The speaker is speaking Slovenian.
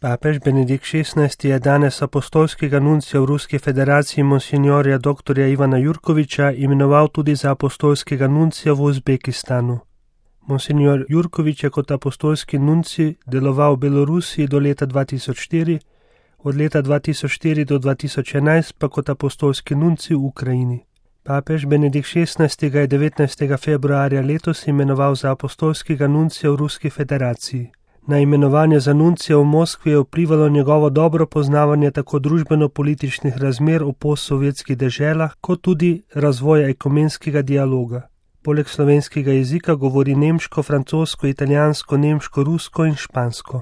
Papež Benedikt XVI je danes apostolskega nuncija v Ruski federaciji monsinjorja dr. Ivana Jurkoviča imenoval tudi za apostolskega nuncija v Uzbekistanu. Monsinjor Jurkovič je kot apostolski nunci deloval v Belorusiji do leta 2004, od leta 2004 do 2011 pa kot apostolski nunci v Ukrajini. Papež Benedikt XVI ga je 19. februarja letos imenoval za apostolskega nuncija v Ruski federaciji. Na imenovanje za nuncija v Moskvi je vplivalo njegovo dobro poznavanje tako družbeno-političnih razmer v postsovjetskih deželah, kot tudi razvoja ekumenskega dialoga. Poleg slovenskega jezika govori nemško, francosko, italijansko, nemško, rusko in špansko.